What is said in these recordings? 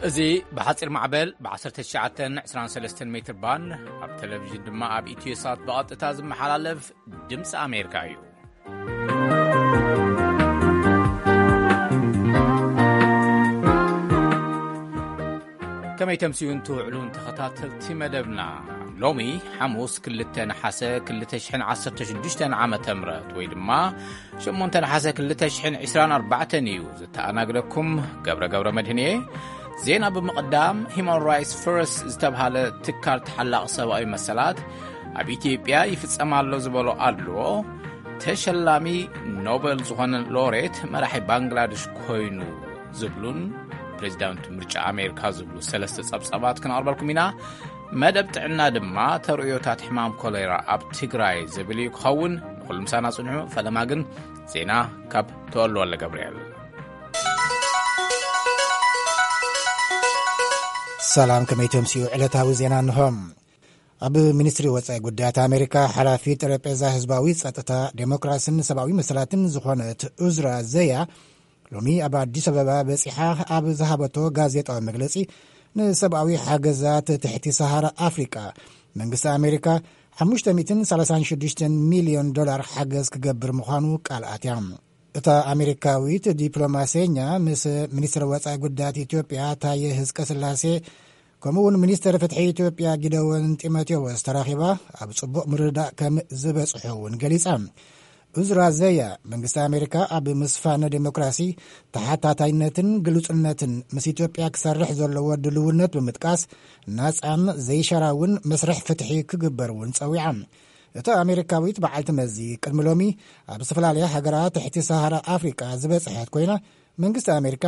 እዚ ብሓጺር ማዕበል ብ19 23 ሜትር ባንድ፣ ኣብ ቴሌቪዥን ድማ ኣብ ኢትዮ ሳት ብቐጥታ ዝመሓላለፍ ድምፂ ኣሜሪካ እዩ። ከመይ ተምስዩን ትውዕሉን ተኸታተልቲ መደብና? ሎሚ ሓሙስ ክልተ ነሓሰ ክልተ ሽሕን ዓሰርተ ሽዱሽተን ዓመተ ምህረት ወይ ድማ ሸሞንተ ነሓሰ ክልተ ሽሕን ዕስራን ኣርባዕተን እዩ። ዝተኣናግደኩም ገብረ ገብረ መድህን እየ። ዜና ብምቕዳም፣ ሂማን ራይትስ ፈርስት ዝተብሃለ ትካል ተሓላቒ ሰብኣዊ መሰላት ኣብ ኢትዮጵያ ይፍጸም ኣሎ ዝበሎ ኣድልዎ፣ ተሸላሚ ኖበል ዝኾነ ሎሬት መራሒ ባንግላደሽ ኮይኑ ዝብሉን ፕሬዚዳንት ምርጫ ኣሜሪካ ዝብሉ ሰለስተ ጸብጻባት ክነቕርበልኩም ኢና። መደብ ጥዕና ድማ ተርእዮታት ሕማም ኮሌራ ኣብ ትግራይ ዝብል እዩ ክኸውን። ንኹሉ ምሳና ጽንሑ። ፈለማ ግን ዜና ካብ ተወልወለ ገብርኤል። ሰላም፣ ከመይ ተምስዩ? ዕለታዊ ዜና እንሆ። ኣብ ሚኒስትሪ ወጻኢ ጉዳያት ኣሜሪካ ሓላፊ ጠረጴዛ ህዝባዊ ጸጥታ፣ ዴሞክራሲን ሰብኣዊ መሰላትን ዝኾነት ኡዝራ ዘያ ሎሚ ኣብ ኣዲስ ኣበባ በጺሓ ኣብ ዝሃበቶ ጋዜጣዊ መግለጺ፣ ንሰብኣዊ ሓገዛት ትሕቲ ሰሃራ ኣፍሪቃ መንግስቲ ኣሜሪካ ሓሙሽተ ሚእትን ሰላሳን ሽዱሽተን ሚልዮን ዶላር ሓገዝ ክገብር ምዃኑ ቃል ኣትያ። እታ ኣሜሪካዊት ዲፕሎማሰኛ ምስ ሚኒስትር ወጻኢ ጉዳያት ኢትዮጵያ ታየ ህዝቀ ስላሴ፣ ከምኡ እውን ሚኒስትር ፍትሒ ኢትዮጵያ ጊደወን ጢሞቴዎስ ተራኺባ ኣብ ጽቡቕ ምርድዳእ ከም ዝበጽሑ እውን ገሊጻ። ኡዝራ ዘያ፣ መንግስቲ ኣሜሪካ ኣብ ምስፋን ዴሞክራሲ፣ ተሓታታይነትን ግሉጽነትን ምስ ኢትዮጵያ ክሰርሕ ዘለዎ ድልውነት ብምጥቃስ፣ ናጻን ዘይሸራውን መስርሕ ፍትሒ ክግበር እውን ጸዊዓ። እታ ኣሜሪካዊት በዓልቲ መዚ ቅድሚ ሎሚ ኣብ ዝተፈላለያ ሃገራት ትሕቲ ሰሃራ ኣፍሪቃ ዝበጽሐት ኮይና፣ መንግስቲ ኣሜሪካ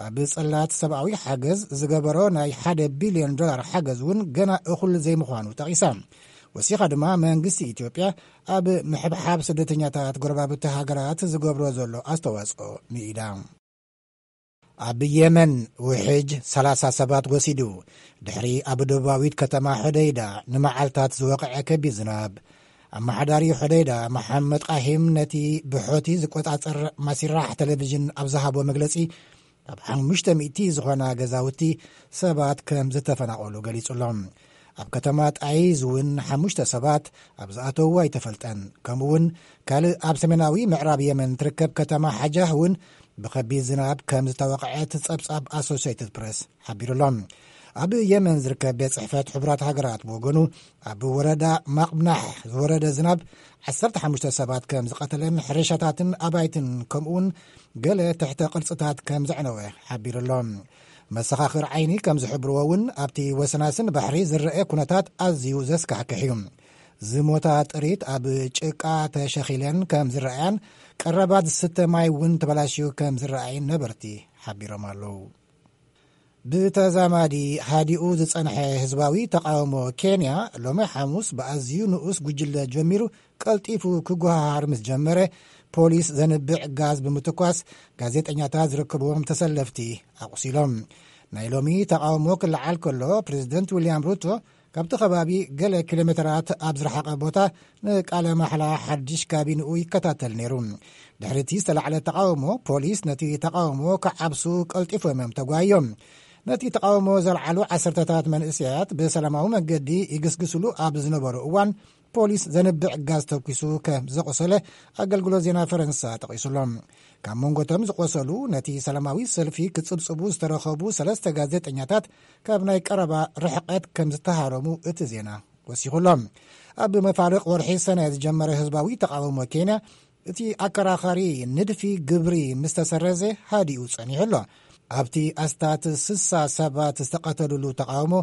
ኣብ ጽላት ሰብኣዊ ሓገዝ ዝገበሮ ናይ ሓደ ቢልዮን ዶላር ሓገዝ እውን ገና እኹል ዘይምዃኑ ጠቒሳ። ወሲኻ ድማ መንግስቲ ኢትዮጵያ ኣብ ምሕብሓብ ስደተኛታት ጎረባብቲ ሃገራት ዝገብሮ ዘሎ ኣስተዋጽኦ ንኢዳ። ኣብ የመን ውሕጅ ሰላሳ ሰባት ወሲዱ፣ ድሕሪ ኣብ ደቡባዊት ከተማ ሑደይዳ ንመዓልታት ዝወቕዐ ከቢድ ዝናብ። ኣመሓዳሪ ሑደይዳ መሓመድ ቃሂም ነቲ ብሖቲ ዝቆጻጸር ማሲራሕ ቴሌቪዥን ኣብ ዝሃቦ መግለጺ፣ ኣብ ሓሙሽተ ሚእቲ ዝኾና ገዛውቲ ሰባት ከም ዝተፈናቐሉ ገሊጹ ኣሎ። ኣብ ከተማ ጣይዝ እውን ሓሙሽተ ሰባት ኣብ ዝኣተውዎ ኣይተፈልጠን። ከምኡ እውን ካልእ ኣብ ሰሜናዊ ምዕራብ የመን ትርከብ ከተማ ሓጃህ እውን ብኸቢድ ዝናብ ከም ዝተወቕዐት ጸብጻብ ኣሶሲየትድ ፕረስ ሓቢሩ ኣሎ። ኣብ የመን ዝርከብ ቤት ጽሕፈት ሕቡራት ሃገራት ብወገኑ፣ ኣብ ወረዳ ማቕብናሕ ዝወረደ ዝናብ ዓሰርተ ሓሙሽተ ሰባት ከም ዝቐተለን ሕርሻታትን ኣባይትን ከምኡውን ገለ ትሕተ ቅርጽታት ከም ዘዕነወ ሓቢሩ ኣሎ። መሰኻኽር ዓይኒ ከም ዝሕብርዎ እውን፣ ኣብቲ ወሰናስን ባሕሪ ዝረአ ኩነታት ኣዝዩ ዘስካሕክሕ እዩ። ዝሞታ ጥሪት ኣብ ጭቃ ተሸኺለን ከም ዝረኣያን ቀረባት ዝስተ ማይ እውን ተበላሽዩ ከም ዝረኣይን ነበርቲ ሓቢሮም ኣለዉ። ብተዛማዲ ሃዲኡ ዝጸንሐ ህዝባዊ ተቃውሞ ኬንያ ሎሚ ሓሙስ ብኣዝዩ ንኡስ ጉጅለ ጀሚሩ፣ ቀልጢፉ ክጓሃሃር ምስ ጀመረ፣ ፖሊስ ዘንብዕ ጋዝ ብምትኳስ ጋዜጠኛታት ዝርከብዎም ተሰለፍቲ ኣቑሲሎም። ናይ ሎሚ ተቃውሞ ክለዓል ከሎ፣ ፕሬዚደንት ዊልያም ሩቶ ካብቲ ከባቢ ገለ ኪሎ ሜተራት ኣብ ዝረሓቐ ቦታ ንቃለ ማሕላ ሓድሽ ካቢንኡ ይከታተል ነይሩ። ድሕሪ እቲ ዝተላዕለ ተቃውሞ፣ ፖሊስ ነቲ ተቃውሞ ክዓብሱ ቀልጢፎም እዮም ተጓዮም። ነቲ ተቃውሞ ዘልዓሉ ዓሰርተታት መንእሰያት ብሰላማዊ መንገዲ ይግስግስሉ ኣብ ዝነበሩ እዋን፣ ፖሊስ ዘንብዕ ጋዝ ተኩሱ ከም ዘቆሰለ ኣገልግሎት ዜና ፈረንሳ ጠቒሱሎም። ካብ መንጎቶም ዝቆሰሉ፣ ነቲ ሰላማዊ ሰልፊ ክጽብጽቡ ዝተረኸቡ ሰለስተ ጋዜጠኛታት፣ ካብ ናይ ቀረባ ርሕቀት ከም ዝተሃረሙ እቲ ዜና ወሲኹሎም። ኣብ መፋርቕ ወርሒ ሰነ ዝጀመረ ህዝባዊ ተቃውሞ ኬንያ፣ እቲ ኣከራኻሪ ንድፊ ግብሪ ምስ ተሰረዘ ሃዲኡ ጸኒሑ ኣሎ። ኣብቲ ኣስታት ስሳ ሰባት ዝተቐተሉሉ ተቃውሞ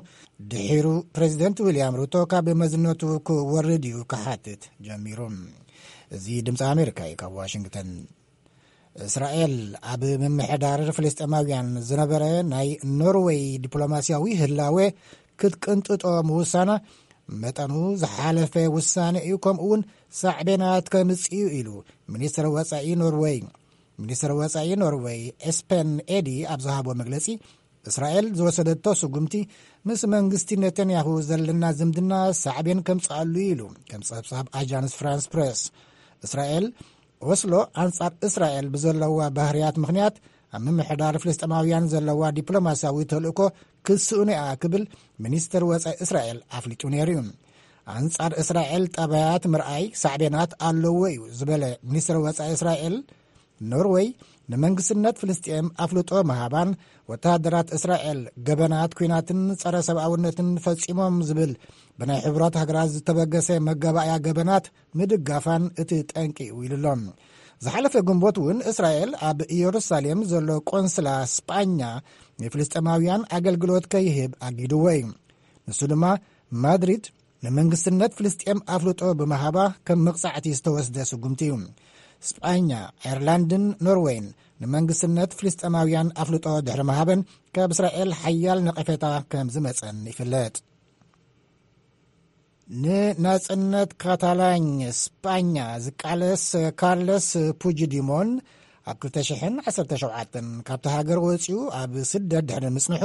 ድሒሩ፣ ፕሬዚደንት ዊልያም ሩቶ ካብ መዝነቱ ክወርድ እዩ ክሓትት ጀሚሩ። እዚ ድምፂ ኣሜሪካ እዩ፣ ካብ ዋሽንግተን። እስራኤል ኣብ ምምሕዳር ፍልስጤማውያን ዝነበረ ናይ ኖርወይ ዲፕሎማስያዊ ህላወ ክትቅንጥጦ ምውሳና፣ መጠኑ ዝሓለፈ ውሳነ እዩ፣ ከምኡ እውን ሳዕቤናት ከምጽእ እዩ ኢሉ ሚኒስትር ወጻኢ ኖርወይ። ሚኒስትር ወጻኢ ኖርወይ ኤስፐን ኤዲ ኣብ ዝሃቦ መግለጺ፣ እስራኤል ዝወሰደቶ ስጉምቲ ምስ መንግስቲ ኔታንያሁ ዘለና ዝምድና ሳዕቤን ከምጽኣሉ እዩ ኢሉ፣ ከም ጸብጻብ ኣጃንስ ፍራንስ ፕሬስ። እስራኤል ኦስሎ ኣንጻር እስራኤል ብዘለዋ ባህርያት ምኽንያት ኣብ ምምሕዳር ፍልስጤማውያን ዘለዋ ዲፕሎማስያዊ ተልእኮ ክስእኑ እያ ክብል ሚኒስትር ወጻኢ እስራኤል ኣፍሊጡ ነይሩ እዩ። ኣንጻር እስራኤል ጠባያት ምርኣይ ሳዕቤናት ኣለዎ እዩ ዝበለ ሚኒስትር ወጻኢ እስራኤል፣ ኖርወይ ንመንግስትነት ፍልስጤም ኣፍልጦ ምሃባን ወተሃደራት እስራኤል ገበናት ኲናትን ጸረ ሰብኣውነትን ፈጺሞም ዝብል ብናይ ሕቡራት ሃገራት ዝተበገሰ መጋባእያ ገበናት ምድጋፋን እቲ ጠንቂ እዩ ኢሉ ኣሎ። ዝሓለፈ ግንቦት እውን እስራኤል ኣብ ኢየሩሳሌም ዘሎ ቆንስላ ስጳኛ ንፍልስጤማውያን ኣገልግሎት ከይህብ ኣጊድዎ እዩ። ንሱ ድማ ማድሪድ ንመንግስትነት ፍልስጤም ኣፍልጦ ብምሃባ ከም መቕጻዕቲ ዝተወስደ ስጉምቲ እዩ። ስጳኛ፣ ኣየርላንድን ኖርወይን ንመንግስትነት ፍልስጤማውያን ኣፍልጦ ድሕሪ ምሃበን ካብ እስራኤል ሓያል ነቐፌታ ከም ዝመጸን ይፍለጥ። ንናጽነት ካታላኝ ስጳኛ ዝቃለስ ካርለስ ፑጅዲሞን ኣብ ክልተ ሽሕን ዓሰርተ ሸውዓተን ካብቲ ሃገር ወጺኡ ኣብ ስደት ድሕሪ ምጽንሑ፣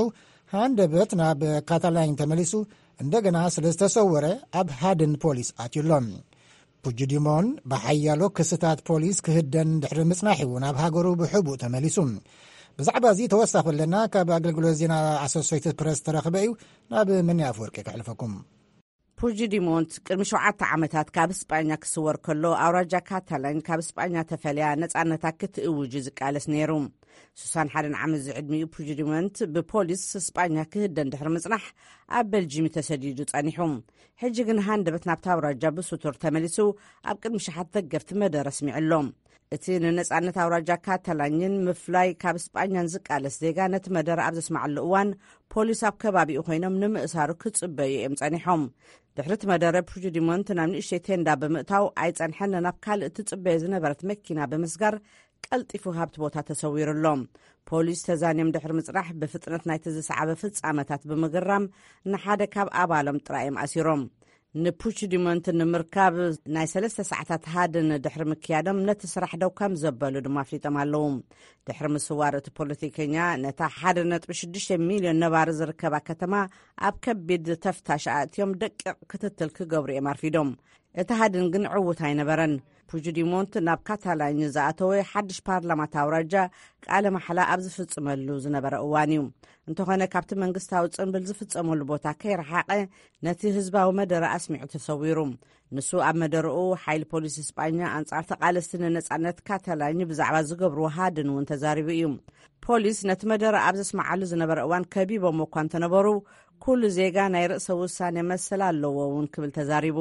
ሃንደበት ናብ ካታላኝ ተመሊሱ እንደገና ስለ ዝተሰወረ ኣብ ሃድን ፖሊስ ኣትዩ ኣሎ። ፑጅዲሞን ብሓያሎ ክስታት ፖሊስ ክህደን ድሕሪ ምጽናሕ እዩ ናብ ሃገሩ ብሕቡእ ተመሊሱ። ብዛዕባ እዚ ተወሳኺ ኣለና ካብ ኣገልግሎት ዜና ኣሶሴይትድ ፕረስ ተረኽበ እዩ። ናብ መኒ ኣፈወርቂ ከሕልፈኩም። ፑጅዲሞንት ቅድሚ ሸውዓተ ዓመታት ካብ ስጳኛ ክስወር ከሎ፣ ኣውራጃ ካታላኝ ካብ ስጳኛ ተፈልያ ነጻነታ ክትእውጅ ዝቃለስ ነይሩ። ሱሳን ሓደን ዓመት ዝዕድሚኡ ፑጅዲሞንት ብፖሊስ ስጳኛ ክህደን ድሕሪ ምጽናሕ ኣብ በልጂም ተሰዲዱ ጸኒሑ። ሕጂ ግን ሃንደበት ናብታ ኣውራጃ ብስቱር ተመሊሱ ኣብ ቅድሚ ሸሓት ደገፍቲ መደረ ኣስሚዑ ኣሎ። እቲ ንነጻነት ኣውራጃ ካታላኝን ምፍላይ ካብ ስጳኛን ዝቃለስ ዜጋ ነቲ መደረ ኣብ ዘስማዓሉ እዋን፣ ፖሊስ ኣብ ከባቢኡ ኮይኖም ንምእሳሩ ክጽበዩ እዮም ጸኒሖም። ድሕሪ እቲ መደረ ፑጅዲሞንት ናብ ንእሽተይ ቴንዳ ብምእታው ኣይጸንሐን፣ ናብ ካልእ ትጽበዮ ዝነበረት መኪና ብምስጋር ቀልጢፉ ካብቲ ቦታ ተሰዊሩ ኣሎ። ፖሊስ ተዛንዮም ድሕሪ ምጽራሕ ብፍጥነት ናይቲ ዝሰዓበ ፍጻመታት ብምግራም ንሓደ ካብ ኣባሎም ጥራይ እዮም ኣሲሮም። ንፑችዲሞንት ንምርካብ ናይ ሰለስተ ሰዓታት ሃድን ድሕሪ ምክያዶም ነቲ ስራሕ ደው ከም ዘበሉ ድማ ኣፍሊጦም ኣለዉ። ድሕሪ ምስዋር እቲ ፖለቲከኛ ነታ ሓደ ነጥቢ ሽዱሽተ ሚልዮን ነባሪ ዝርከባ ከተማ ኣብ ከቢድ ተፍታሽ ኣእትዮም ደቂቕ ክትትል ክገብሩ እዮም ኣርፊዶም። እቲ ሃድን ግን ዕዉት ኣይነበረን። ፑጅዲሞንት ናብ ካታላኝ ዝኣተወ ሓድሽ ፓርላማ እታ ኣውራጃ ቃለ ማሕላ ኣብ ዝፍጽመሉ ዝነበረ እዋን እዩ። እንተኾነ ካብቲ መንግስታዊ ጽንብል ዝፍጸመሉ ቦታ ከይረሓቐ ነቲ ህዝባዊ መደረ ኣስሚዑ ተሰዊሩ። ንሱ ኣብ መደረኡ ሓይሊ ፖሊስ ስጳኛ ኣንጻር ተቓለስቲ ንነጻነት ካታላኝ ብዛዕባ ዝገብርዎ ሃድን እውን ተዛሪቡ እዩ። ፖሊስ ነቲ መደረ ኣብ ዘስምዓሉ ዝነበረ እዋን ከቢቦም እኳ እንተነበሩ፣ ኩሉ ዜጋ ናይ ርእሰ ውሳኔ መሰል ኣለዎ እውን ክብል ተዛሪቡ።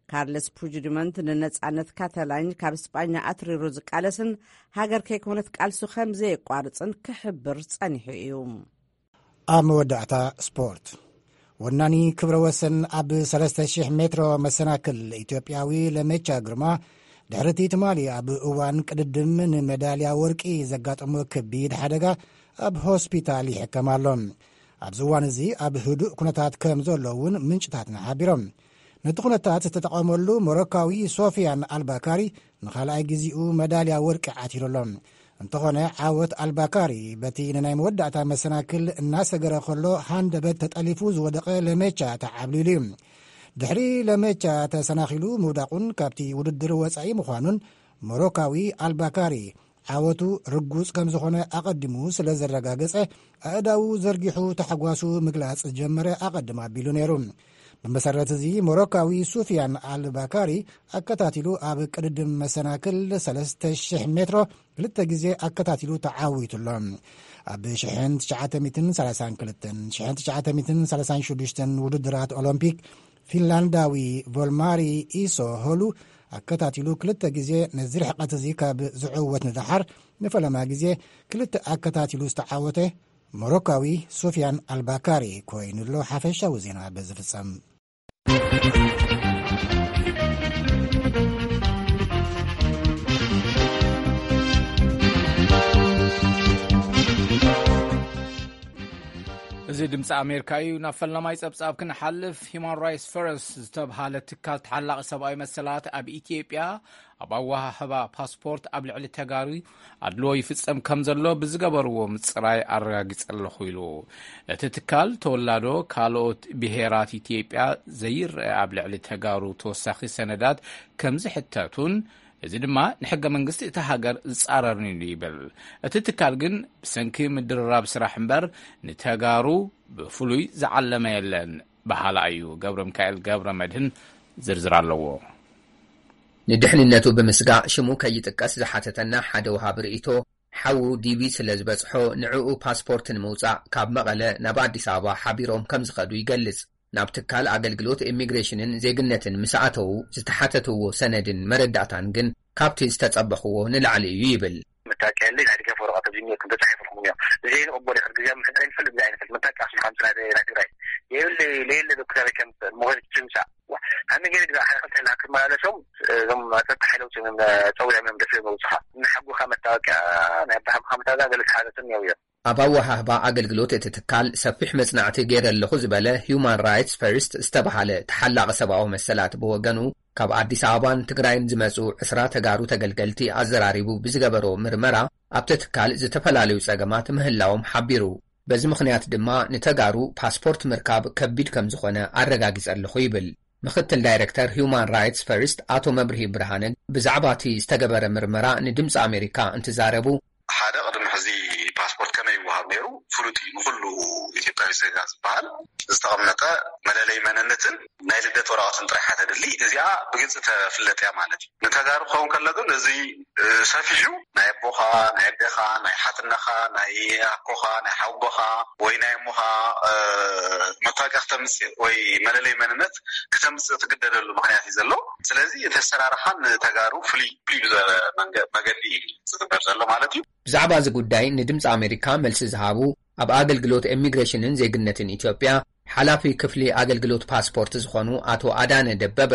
ካርለስ ፑጅዲመንት ንነጻነት ካታላኝ ካብ ስጳኛ ኣትሪሩ ዝቃለስን ሃገር ከይኮነት ቃልሱ ከም ዘየቋርጽን ክሕብር ጸኒሑ እዩ። ኣብ መወዳእታ ስፖርት። ወናኒ ክብረ ወሰን ኣብ ሰለስተ ሽሕ ሜትሮ መሰናክል ኢትዮጵያዊ ለሜቻ ግርማ፣ ድሕሪ እቲ ትማሊ ኣብ እዋን ቅድድም ንመዳልያ ወርቂ ዘጋጠሞ ከቢድ ሓደጋ ኣብ ሆስፒታል ይሕከም ኣሎ። ኣብዚ እዋን እዚ ኣብ ህዱእ ኩነታት ከም ዘሎ እውን ምንጭታትና ሓቢሮም። ነቲ ኩነታት ዝተጠቐመሉ ሞሮካዊ ሶፊያን ኣልባካሪ ንኻልኣይ ግዜኡ መዳልያ ወርቂ ዓቲሩ ኣሎ። እንተኾነ ዓወት ኣልባካሪ በቲ ንናይ መወዳእታ መሰናክል እናሰገረ ከሎ ሃንደበት ተጠሊፉ ዝወደቐ ለሜቻ ተዓብሊሉ እዩ። ድሕሪ ለሜቻ ተሰናኺሉ ምውዳቑን ካብቲ ውድድር ወጻኢ ምዃኑን ሞሮካዊ ኣልባካሪ ዓወቱ ርጉጽ ከም ዝኾነ ኣቐዲሙ ስለ ዘረጋገጸ፣ ኣእዳዉ ዘርጊሑ ታሕጓሱ ምግላጽ ዝጀመረ ኣቐድም ኣቢሉ ነይሩ። ብመሰረት እዚ ሞሮካዊ ሱፊያን ኣልባካሪ ኣከታቲሉ ኣብ ቅድድም መሰናክል ሰለስተ ሽሕ ሜትሮ ክልተ ግዜ ኣከታቲሉ ተዓዊቱ ኣሎ። ኣብ ሽሕን ትሽዓተ ሚእትን ሰላሳን ክልተን፣ ሽሕን ትሽዓተ ሚእትን ሰላሳን ሽዱሽተን ውድድራት ኦሎምፒክ ፊንላንዳዊ ቮልማሪ ኢሶ ሆሉ ኣከታቲሉ ክልተ ግዜ ነዚ ርሕቀት እዚ ካብ ዝዕወት ንደሓር፣ ንፈለማ ግዜ ክልተ ኣከታቲሉ ዝተዓወተ ሞሮካዊ ሱፊያን ኣልባካሪ ኮይኑ ኣሎ። ሓፈሻዊ ዜና በዚ ፍጸም። እዚ ድምፂ ኣሜሪካ እዩ። ናብ ፈለማይ ጸብጻብ ክንሓልፍ፣ ሂማን ራይትስ ፈረስት ዝተብሃለ ትካል ተሓላቒ ሰብኣዊ መሰላት ኣብ ኢትዮጵያ ኣብ ኣወሃህባ ፓስፖርት ኣብ ልዕሊ ተጋሩ ኣድልዎ ይፍጸም ከም ዘሎ ብዝገበርዎ ምጽራይ ኣረጋጊጸ ኣለኹ ኢሉ። እቲ ትካል ተወላዶ ካልኦት ብሄራት ኢትዮጵያ ዘይረአ ኣብ ልዕሊ ተጋሩ ተወሳኺ ሰነዳት ከም ዝሕተቱን እዚ ድማ ንሕገ መንግስቲ እታ ሃገር ዝጻረርን እዩ ይብል። እቲ ትካል ግን ብሰንኪ ምድርራብ ስራሕ እምበር ንተጋሩ ብፍሉይ ዝዓለመ የለን በሃላ እዩ። ገብረ ሚካኤል ገብረ መድህን ዝርዝር ኣለዎ። ንድሕንነቱ ብምስጋእ ሽሙ ከይጥቀስ ዝሓተተና ሓደ ወሃቢ ርእይቶ፣ ሓዉ ዲቪ ስለ ዝበጽሖ ንዕኡ ፓስፖርት ንምውጻእ ካብ መቐለ ናብ ኣዲስ ኣበባ ሓቢሮም ከም ዝኸዱ ይገልጽ። ናብ ትካል ኣገልግሎት ኢሚግሬሽንን ዜግነትን ምስ ኣተዉ ዝተሓተትዎ ሰነድን መረዳእታን ግን ካብቲ ዝተጸበኽዎ ንላዕሊ እዩ ይብል። መታወቂያ የለይ፣ ናይ ድጋፍ ወረቐት ኣብዚ እኒኦ፣ ከም ተጻሒፉልኩም እኒኦ። እዚ ኣይንቕበሎ፣ ሕድ ግዜ ምሕደራ ይንፈልጥ፣ እዚ ኣይንፈልጥ። መታወቂያ ኣስመራ ምጽእ ናይ ትግራይ። የብለይ፣ ለየለ ዶ ክሳበይ ከም ምኾነ ትምጻእ። ዋ፣ ከመይ ገይረ ግዛ ሓደ ክልተ ኢልና ክመላለሶም፣ እዞም ጸጥታ ሓይለውቲ እዮም ጸዊዖም እዮም ደፊኦም መውጽኻ። እናሓጉኻ መታወቂያ፣ ናይ ኣባሓጉኻ መታወቂያ ገለ ተሓተቱ እኒኦ እዮም። ኣብ ኣወሃህባ ኣገልግሎት እቲ ትካል ሰፊሕ መጽናዕቲ ገይረ ኣለኹ ዝበለ ሂዩማን ራይትስ ፈርስት ዝተባሃለ ተሓላቒ ሰብኣዊ መሰላት ብወገኑ፣ ካብ ኣዲስ ኣበባን ትግራይን ዝመጹ ዕስራ ተጋሩ ተገልገልቲ ኣዘራሪቡ ብዝገበሮ ምርመራ፣ ኣብቲ ትካል ዝተፈላለዩ ጸገማት ምህላዎም ሓቢሩ። በዚ ምኽንያት ድማ ንተጋሩ ፓስፖርት ምርካብ ከቢድ ከም ዝኾነ ኣረጋጊጸ ኣለኹ ይብል። ምኽትል ዳይረክተር ሂዩማን ራይትስ ፈርስት ኣቶ መብርሂ ብርሃነ ብዛዕባ እቲ ዝተገበረ ምርመራ ንድምፂ ኣሜሪካ እንትዛረቡ፣ ሓደ ቅድሚ ሕዚ ፓስፖርት ከመይ ይወሃብ ነይሩ ፍሉጥ እዩ። ንኹሉ ኢትዮጵያዊ ዜጋ ዝበሃል ዝተቐመጠ መለለይ መንነትን ናይ ልደት ወረቐትን ጥራሕ እያ ተድሊ። እዚኣ ብግልፂ ተፍለጥ እያ ማለት እዩ። ንተጋሩ ክኸውን ከሎ ግን እዚ፣ እ፣ ሰፊሑ ናይ ኣቦኻ፣ ናይ ኣዴኻ፣ ናይ ሓትነኻ፣ ናይ ኣኮኻ፣ ናይ ሓውቦኻ ወይ ናይ እሞኻ፣ እ፣ መታወቂያ ክተምፅእ ወይ መለለይ መንነት ክተምፅእ ትግደደሉ ምኽንያት እዩ ዘሎ። ስለዚ እቲ ኣሰራርሓ ንተጋሩ ፍሉይ፣ ፍሉይ ብዝበለ መንገ-፣ መገዲ እዩ ዝግበር ዘሎ ማለት እዩ። ብዛዕባ እዚ ጉዳይ ንድምፂ ኣሜሪካ መልሲ ዝሃቡ ኣብ ኣገልግሎት ኢሚግሬሽንን ዜግነትን ኢትዮጵያ ሓላፊ ክፍሊ ኣገልግሎት ፓስፖርት ዝኾኑ ኣቶ ኣዳነ ደበበ፣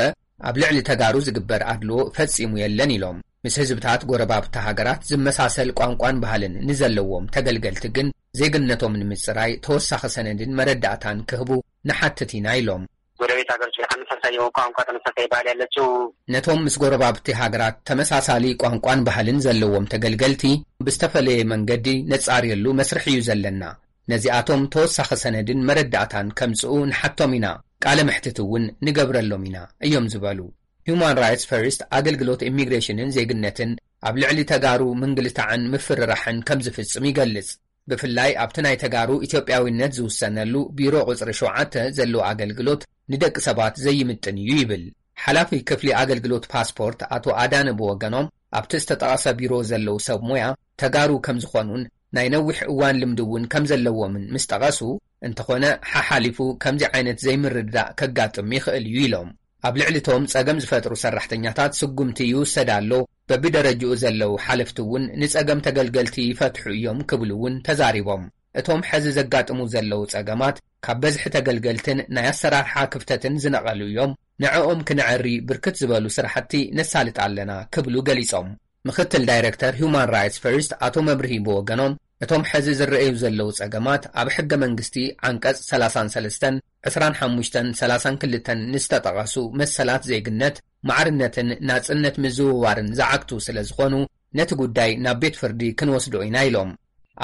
ኣብ ልዕሊ ተጋሩ ዝግበር ኣድልዎ ፈጺሙ የለን ኢሎም። ምስ ህዝብታት ጎረባብቲ ሃገራት ዝመሳሰል ቋንቋን ባህልን ንዘለዎም ተገልገልቲ ግን ዜግነቶም ንምጽራይ ተወሳኺ ሰነድን መረዳእታን ክህቡ ንሓትት ኢና ኢሎም። ጎረቤት ሀገሮች ላይ ተመሳሳይ የሆነ ቋንቋ፣ ተመሳሳይ ባህል ያላቸው ነቶም ምስ ጎረባብቲ ሃገራት ተመሳሳሊ ቋንቋን ባህልን ዘለዎም ተገልገልቲ ብዝተፈለየ መንገዲ ነጻርየሉ መስርሕ እዩ ዘለና። ነዚኣቶም ተወሳኺ ሰነድን መረዳእታን ከምጽኡ ንሓቶም ኢና፣ ቃለ መሕትት እውን ንገብረሎም ኢና እዮም ዝበሉ። ሂዩማን ራይትስ ፈርስት ኣገልግሎት ኢሚግሬሽንን ዜግነትን ኣብ ልዕሊ ተጋሩ ምንግልታዕን ምፍርራሕን ከም ዝፍጽም ይገልጽ። ብፍላይ ኣብቲ ናይ ተጋሩ ኢትዮጵያዊነት ዝውሰነሉ ቢሮ ቁጽሪ ሸውዓተ ዘሎ ኣገልግሎት ንደቂ ሰባት ዘይምጥን እዩ ይብል። ሓላፊ ክፍሊ ኣገልግሎት ፓስፖርት ኣቶ ኣዳነ ብወገኖም፣ ኣብቲ ዝተጠቐሰ ቢሮ ዘለዉ ሰብ ሞያ ተጋሩ ከም ዝኾኑን ናይ ነዊሕ እዋን ልምዲ እውን ከም ዘለዎምን ምስ ጠቐሱ፣ እንተኾነ ሓሓሊፉ ከምዚ ዓይነት ዘይምርድዳእ ከጋጥም ይኽእል እዩ ኢሎም። ኣብ ልዕሊ እቶም ጸገም ዝፈጥሩ ሰራሕተኛታት ስጉምቲ ይውሰድ ኣሎ፣ በብደረጅኡ ዘለዉ ሓለፍቲ እውን ንጸገም ተገልገልቲ ይፈትሑ እዮም ክብሉ እውን ተዛሪቦም። እቶም ሕዚ ዘጋጥሙ ዘለዉ ጸገማት ካብ በዝሒ ተገልገልትን ናይ ኣሰራርሓ ክፍተትን ዝነቐሉ እዮም። ንዕኦም ክነዐሪ ብርክት ዝበሉ ስራሕቲ ነሳልጥ ኣለና ክብሉ ገሊጾም። ምኽትል ዳይረክተር ሂዩማን ራይትስ ፈርስት ኣቶ መብርሂ ብወገኖም፣ እቶም ሕዚ ዝረኣዩ ዘለዉ ጸገማት ኣብ ሕገ መንግስቲ ዓንቀጽ ሰላሳን ሰለስተን፣ ዕስራን ሓሙሽተን፣ ሰላሳን ክልተን ንዝተጠቐሱ መሰላት ዜግነት፣ ማዕርነትን ናጽነት ምዝውዋርን ዝዓግቱ ስለ ዝኾኑ፣ ነቲ ጉዳይ ናብ ቤት ፍርዲ ክንወስዶ ኢና ኢሎም።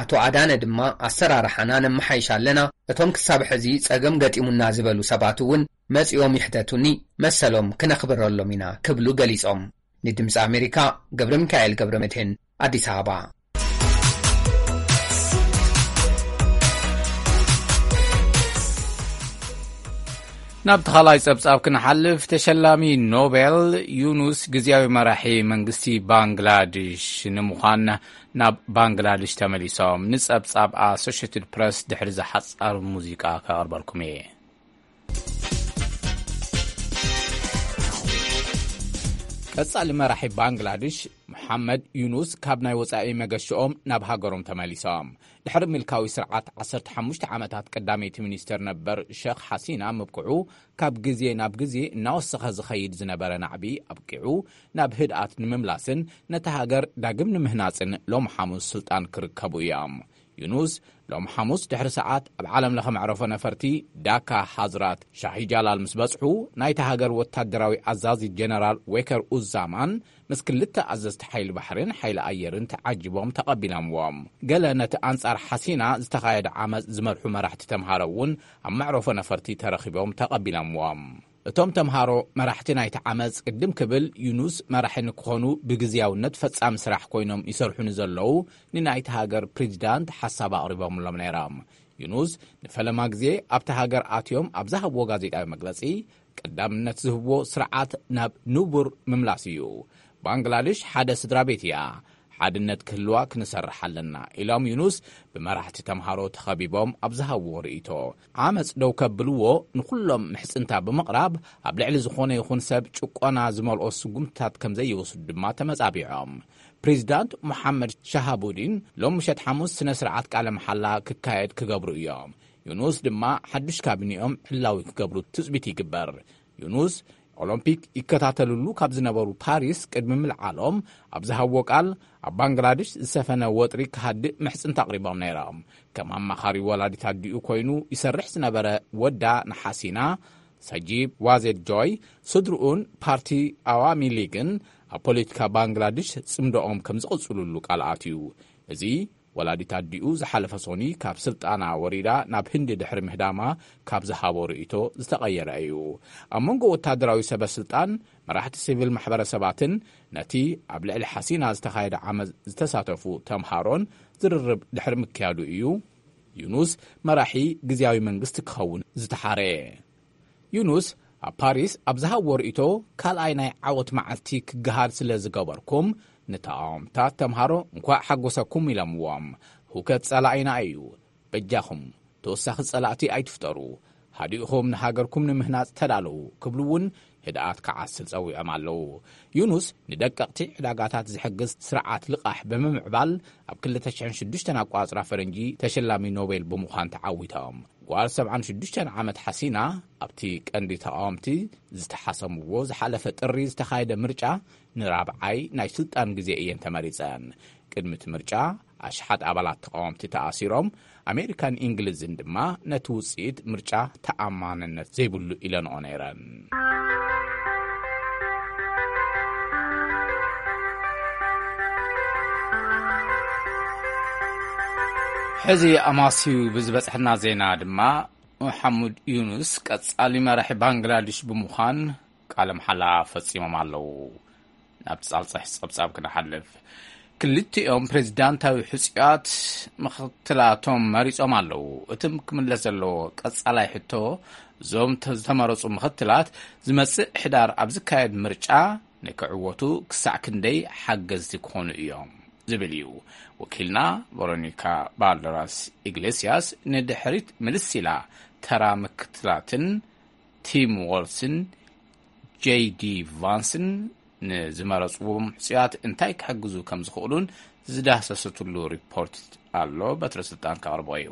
ኣቶ ኣዳነ ድማ፣ ኣሰራርሓና ነመሓይሽ ኣለና፣ እቶም ክሳብ ሕዚ ጸገም ገጢሙና ዝበሉ ሰባት እውን መጺኦም ይሕተቱኒ፣ መሰሎም ክነኽብረሎም ኢና ክብሉ ገሊጾም። ንድምፂ ኣሜሪካ ገብረ ሚካኤል ገብረ መድህን፣ ኣዲስ ኣበባ። ናብ ተኻላይ ጸብጻብ ክንሓልፍ፣ ተሸላሚ ኖቤል ዩኑስ ግዝያዊ መራሒ መንግስቲ ባንግላድሽ ንምዃን ናብ ባንግላድሽ ተመሊሶም። ንጸብጻብ ኣሶሽትድ ፕረስ ድሕሪ ዝሓጻር ሙዚቃ ከቕርበልኩም እየ። ቀጻሊ መራሒ ባንግላድሽ መሓመድ ዩኑስ ካብ ናይ ወጻኢ መገሽኦም ናብ ሃገሮም ተመሊሶም። ድሕሪ ምልካዊ ስርዓት ዓሰርተ ሓሙሽተ ዓመታት ቀዳመይቲ ሚኒስተር ነበር ሸኽ ሓሲና ምብቅዑ፣ ካብ ግዜ ናብ ግዜ እናወሰኸ ዝኸይድ ዝነበረ ናዕቢ ኣብቂዑ ናብ ህድኣት ንምምላስን ነታ ሃገር ዳግም ንምህናጽን ሎም ሓሙስ ስልጣን ክርከቡ እዮም። ዩኑስ ሎም ሓሙስ ድሕሪ ሰዓት ኣብ ዓለም ለኸ መዕረፎ ነፈርቲ ዳካ ሓዝራት ሻሂ ጃላል ምስ በጽሑ፣ ናይታ ሃገር ወታደራዊ ኣዛዚ ጀነራል ዌከር ኡዛማን ምስ ክልተ ኣዘዝቲ ሓይሊ ባሕርን ሓይሊ ኣየርን ተዓጂቦም ተቐቢሎምዎም። ገለ ነቲ ኣንጻር ሓሲና ዝተኻየደ ዓመጽ ዝመርሑ መራሕቲ ተምሃሮ እውን ኣብ መዕረፎ ነፈርቲ ተረኺቦም ተቐቢሎምዎም። እቶም ተምሃሮ መራሕቲ ናይቲ ዓመፅ ቅድም ክብል ዩኑስ መራሒ ንክኾኑ ብግዝያውነት ፈጻሚ ስራሕ ኮይኖም ይሰርሑ ንዘለዉ ንናይቲ ሃገር ፕሬዚዳንት ሓሳብ ኣቕሪቦምሎም ነይሮም። ዩኑስ ንፈለማ ግዜ ኣብቲ ሃገር ኣትዮም ኣብ ዝሃብዎ ጋዜጣዊ መግለጺ ቀዳምነት ዝህብዎ ስርዓት ናብ ንቡር ምምላስ እዩ። ባንግላዴሽ ሓደ ስድራ ቤት እያ። ሓድነት ክህልዋ ክንሰርሕ ኣለና ኢሎም ዩኑስ ብመራሕቲ ተምሃሮ ተኸቢቦም ኣብ ዝሃብዎ ርእይቶ። ዓመፅ ደው ከብልዎ ንኩሎም ምሕፅንታ ብምቕራብ ኣብ ልዕሊ ዝኾነ ይኹን ሰብ ጭቆና ዝመልኦ ስጉምትታት ከም ዘይወስዱ ድማ ተመጻቢዖም። ፕሬዚዳንት ሙሓመድ ሻሃቡዲን ሎም ምሸት ሓሙስ ስነ ስርዓት ቃለ መሓላ ክካየድ ክገብሩ እዮም። ዩኑስ ድማ ሓዱሽ ካቢኒኦም ዕላዊ ክገብሩ ትጽቢት ይግበር። ዩኑስ ኦሎምፒክ ይከታተልሉ ካብ ዝነበሩ ፓሪስ ቅድሚ ምልዓሎም ኣብ ዝሃብዎ ቃል ኣብ ባንግላዴሽ ዝሰፈነ ወጥሪ ክሃድእ ምሕጽንታ ኣቕሪቦም ነይሮም። ከም ኣማኻሪ ወላዲት ኣዲኡ ኮይኑ ይሰርሕ ዝነበረ ወዳ ንሓሲና ሰጂብ ዋዜድ ጆይ ስድርኡን ፓርቲ ኣዋሚ ሊግን ኣብ ፖለቲካ ባንግላዴሽ ጽምዶኦም ከም ዝቕጽሉሉ ቃል ኣትዩ። እዚ ወላዲት ኣዲኡ ዝሓለፈ ሶኒ ካብ ስልጣና ወሪዳ ናብ ህንዲ ድሕሪ ምህዳማ ካብ ዝሃቦ ርእይቶ ዝተቐየረ እዩ። ኣብ መንጎ ወታደራዊ ሰበ ስልጣን፣ መራሕቲ ሲቪል ማሕበረሰባትን ነቲ ኣብ ልዕሊ ሓሲና ዝተኻየደ ዓመፅ ዝተሳተፉ ተምሃሮን ዝርርብ ድሕሪ ምክያዱ እዩ ዩኑስ መራሒ ግዝያዊ መንግስቲ ክኸውን ዝተሓረ። ዩኑስ ኣብ ፓሪስ ኣብ ዝሃብዎ ርእይቶ፣ ካልኣይ ናይ ዓወት መዓልቲ ክገሃድ ስለ ዝገበርኩም ንተቓወምታት ተምሃሮ እንኳዕ ሓጎሰኩም ኢሎምዎም። ህውከት ጸላኢና እዩ። በጃኹም ተወሳኺ ጸላእቲ ኣይትፍጠሩ። ሃዲእኹም ንሃገርኩም ንምህናጽ ተዳለዉ ክብሉ እውን ህድኣት ክዓስል ጸዊዖም ኣለዉ። ዩኑስ ንደቀቕቲ ዕዳጋታት ዝሕግዝ ስርዓት ልቓሕ ብምምዕባል ኣብ ክልተ ሽሕን ሽዱሽተን ኣቋጽራ ፈረንጂ ተሸላሚ ኖቤል ብምዃን ተዓዊቶም። ጓል ሰብዓን ሽዱሽተን ዓመት ሓሲና ኣብቲ ቀንዲ ተቓወምቲ ዝተሓሰምዎ ዝሓለፈ ጥሪ ዝተኻየደ ምርጫ ንራብዓይ ናይ ስልጣን ግዜ እየን ተመሪጸን። ቅድሚ እቲ ምርጫ ኣሽሓት ኣባላት ተቓወምቲ ተኣሲሮም፣ ኣሜሪካን እንግሊዝን ድማ ነቲ ውጽኢት ምርጫ ተኣማንነት ዘይብሉ ኢለንኦ ነይረን። ሕዚ ኣማስዩ ብዝበጽሐና ዜና ድማ፣ መሓሙድ ዩኑስ ቀጻሊ መራሒ ባንግላዴሽ ብምዃን ቃለ መሓላ ፈጺሞም ኣለዉ። ናብ ጻልጻሕ ጸብጻብ ክንሓልፍ፣ ክልቲኦም ፕሬዚዳንታዊ ሕጹያት ምኽትላቶም መሪጾም ኣለዉ። እቲ ክምለስ ዘለዎ ቀጻላይ ሕቶ፣ እዞም ተ-፣ ዝተመረጹ ምኽትላት ዝመጽእ ሕዳር ኣብ ዝካየድ ምርጫ ንክዕወቱ ክሳዕ ክንደይ ሓገዝቲ ክኾኑ እዮም ዝብል እዩ። ወኪልና ቨሮኒካ ባልደራስ ኢግሌስያስ ንድሕሪት ምልስ ኢላ ተራ ምክትላትን ቲም ዎልስን ጄዲ ቫንስን ንዝመረጽዎም ሕጹያት እንታይ ክሕግዙ ከም ዝኽእሉን ዝዳህሰሰትሉ ሪፖርት ኣሎ። በትረ ስልጣን ከቕርቦ እዩ።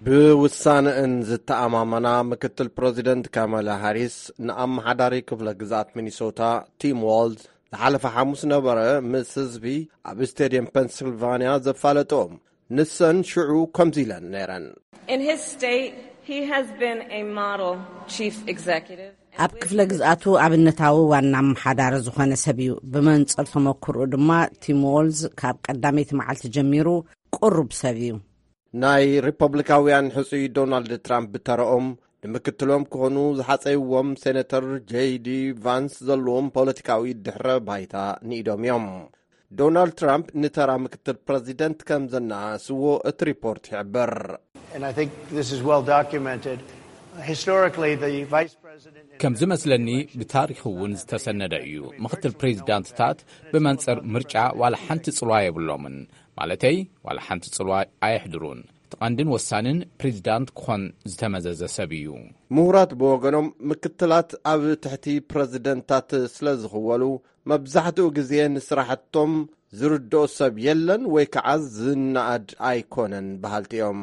ብውሳነእን ዝተኣማመና ምክትል ፕረዚደንት ካማላ ሃሪስ ንኣመሓዳሪ ክፍለ ግዝኣት ሚኒሶታ ቲም ዋልዝ ዝሓለፈ ሓሙስ ነበረ ምስ ህዝቢ ኣብ ስቴድየም ፔንስልቫንያ ዘፋለጥኦም። ንሰን ሽዑ ከምዚ ኢለን ነይረን። In his state, he has been a model chief executive. ኣብ ክፍለ ግዝኣቱ ኣብነታዊ ዋና ኣመሓዳሪ ዝኾነ ሰብ እዩ። ብመንጽር ተመክርኡ ድማ ቲም ዎልዝ ካብ ቀዳመይቲ መዓልቲ ጀሚሩ ቅሩብ ሰብ እዩ። ናይ ሪፐብሊካውያን ሕጹይ ዶናልድ ትራምፕ ብተረኦም ንምክትሎም ክኾኑ ዝሓጸይዎም ሴነተር ጄዲ ቫንስ ዘለዎም ፖለቲካዊ ድሕረ ባይታ ንኢዶም እዮም። ዶናልድ ትራምፕ ንተራ ምክትል ፕረዚደንት ከም ዘነኣስዎ እቲ ሪፖርት ይሕብር። And I think this is well documented. Historically, the vice president ከም ዝመስለኒ ብታሪኽ እውን ዝተሰነደ እዩ። ምክትል ፕሬዚዳንትታት ብመንጽር ምርጫ ዋላ ሓንቲ ጽልዋ የብሎምን። ማለተይ ዋላ ሓንቲ ጽልዋ ኣየሕድሩን። እቲ ቀንድን ወሳንን ፕሬዚዳንት ክኾን ዝተመዘዘ ሰብ እዩ። ምሁራት ብወገኖም ምክትላት ኣብ ትሕቲ ፕረዚደንታት ስለ ዝኽወሉ መብዛሕትኡ ግዜ ንስራሕቶም ዝርድኦ ሰብ የለን ወይ ከዓ ዝነኣድ ኣይኮነን በሃልቲ እዮም።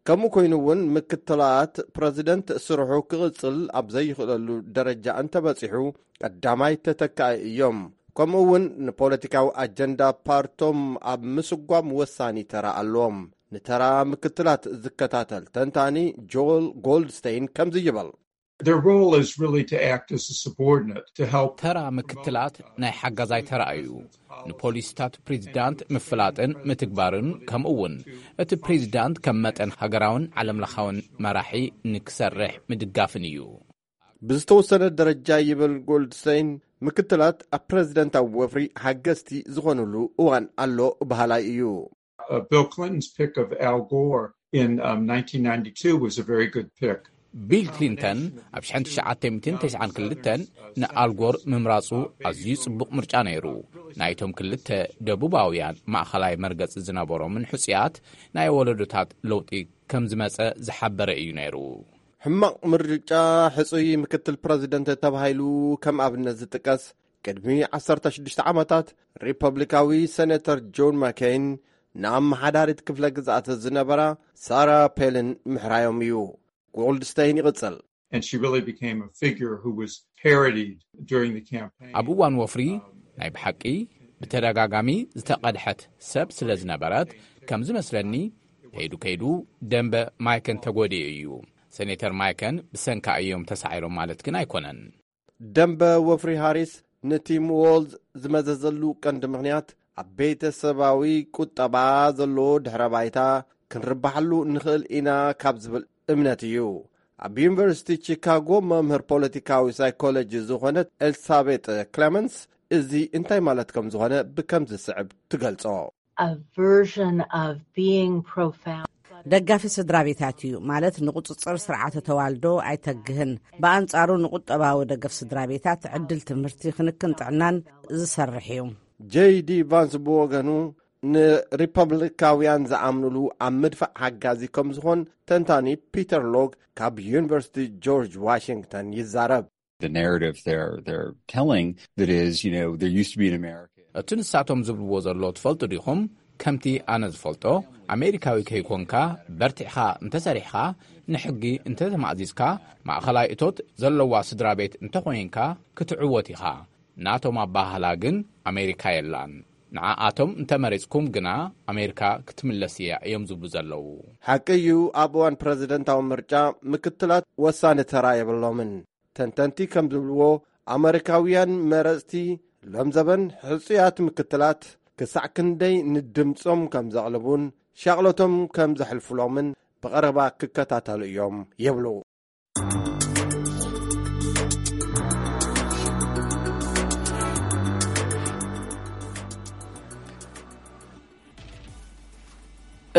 ከምኡ ኮይኑ እውን ምክትላት ፕረዚደንት ስርሑ ክቕጽል ኣብ ዘይኽእለሉ ደረጃ እንተበጺሑ ቀዳማይ ተተካኢ እዮም። ከምኡ እውን ንፖለቲካዊ ኣጀንዳ ፓርቶም ኣብ ምስጓም ወሳኒ ተራ ኣለዎም። ንተራ ምክትላት ዝከታተል ተንታኒ ጆል ጎልድስቴይን ከምዚ ይብል። Their role is really to act as a subordinate to help ተራ ምክትላት ናይ ሓጋዛይ ተራ እዩ። ንፖሊሲታት ፕሬዚዳንት ምፍላጥን ምትግባርን፣ ከምኡ እውን እቲ ፕሬዚዳንት ከም መጠን ሃገራውን ዓለምለኻውን መራሒ ንክሰርሕ ምድጋፍን እዩ። ብዝተወሰነ ደረጃ፣ ይብል ጎልድስተይን፣ ምክትላት ኣብ ፕረዚደንታዊ ወፍሪ ሓገዝቲ ዝኾኑሉ እዋን ኣሎ በሃላይ እዩ። Uh, Bill Clinton's pick of Al Gore in um, nineteen ninety-two was a very good pick. ቢል ክሊንተን ኣብ ሽሕን ትሽዓተ ሚእትን ተስዓን ክልተን ንኣልጎር ምምራጹ ኣዝዩ ጽቡቕ ምርጫ ነይሩ። ናይቶም ክልተ ደቡባውያን ማእኸላይ መርገጺ ዝነበሮምን ሕጹያት ናይ ወለዶታት ለውጢ ከም ዝመጸ ዝሓበረ እዩ ነይሩ። ሕማቕ ምርጫ፣ ሕጹይ ምክትል ፕረዚደንት ተባሂሉ ከም ኣብነት ዝጥቀስ፣ ቅድሚ ዓሰርተ ሽዱሽተ ዓመታት ሪፐብሊካዊ ሴኔተር ጆን ማኬይን ንኣመሓዳሪት ክፍለ ግዝኣት ዝነበራ ሳራ ፔልን ምሕራዮም እዩ። ጎልድስተይን ይቕጽል። And she really became a figure who was parodied during the campaign. ኣብ እዋን ወፍሪ ናይ ብሓቂ ብተደጋጋሚ ዝተቐድሐት ሰብ ስለ ዝነበረት፣ ከም ዝመስለኒ ከይዱ ከይዱ ደንበ ማይከን ተጎዲኡ እዩ። ሴኔተር ማይከን ብሰንካ እዮም ተሳዒሮም ማለት ግን ኣይኮነን። ደንበ ወፍሪ ሃሪስ ንቲም ዎልዝ ዝመዘዘሉ ቀንዲ ምኽንያት ኣብ ቤተሰባዊ ቁጠባ ዘለዎ ድሕረ ባይታ ክንርባሓሉ ንኽእል ኢና ካብ ዝብል እምነት እዩ። ኣብ ዩኒቨርሲቲ ቺካጎ መምህር ፖለቲካዊ ሳይኮሎጂ ዝኾነት ኤልሳቤጥ ክለመንስ እዚ እንታይ ማለት ከም ዝኾነ ብከም ዝስዕብ ትገልጾ። A version of being profound. ደጋፊ ስድራ ቤታት እዩ ማለት ንቁፅፅር ስርዓተ ተዋልዶ ኣይተግህን። ብኣንፃሩ ንቁጠባዊ ደገፍ ስድራ ቤታት፣ ዕድል ትምህርቲ፣ ክንክን ጥዕናን ዝሰርሕ እዩ። ጄይ ዲ ቫንስ ብወገኑ ንሪፐብሊካውያን ዝኣምኑሉ ኣብ ምድፋዕ ሓጋዚ ከም ዝኾን ተንታኒ ፒተር ሎግ ካብ ዩኒቨርሲቲ ጆርጅ ዋሽንግተን ይዛረብ። The narrative they're they're telling that is, you know, there used to be an American. እቲ ንሳቶም ዝብልዎ ዘሎ ትፈልጡ ዲኹም? ከምቲ ኣነ ዝፈልጦ፣ ኣሜሪካዊ ከይኮንካ በርቲዕኻ እንተሰሪሕኻ፣ ንሕጊ እንተተማእዚዝካ፣ ማእኸላይ እቶት ዘለዋ ስድራ ቤት እንተኾይንካ ክትዕወት ኢኻ። ናቶም ኣባህላ ግን ኣሜሪካ የላን። ንዓኣቶም እንተመሪጽኩም ግና ኣሜሪካ ክትምለስ እያ እዮም ዝብሉ ዘለዉ። ሓቂ እዩ፣ ኣብ እዋን ፕረዚደንታዊ ምርጫ ምክትላት ወሳኒ ተራ የብሎምን። ተንተንቲ ከም ዝብልዎ፣ ኣመሪካውያን መረጽቲ ሎም ዘበን ሕጹያት ምክትላት ክሳዕ ክንደይ ንድምጾም ከም ዘቕልቡን ሻቕሎቶም ከም ዘሕልፉሎምን ብቐረባ ክከታተሉ እዮም ይብሉ።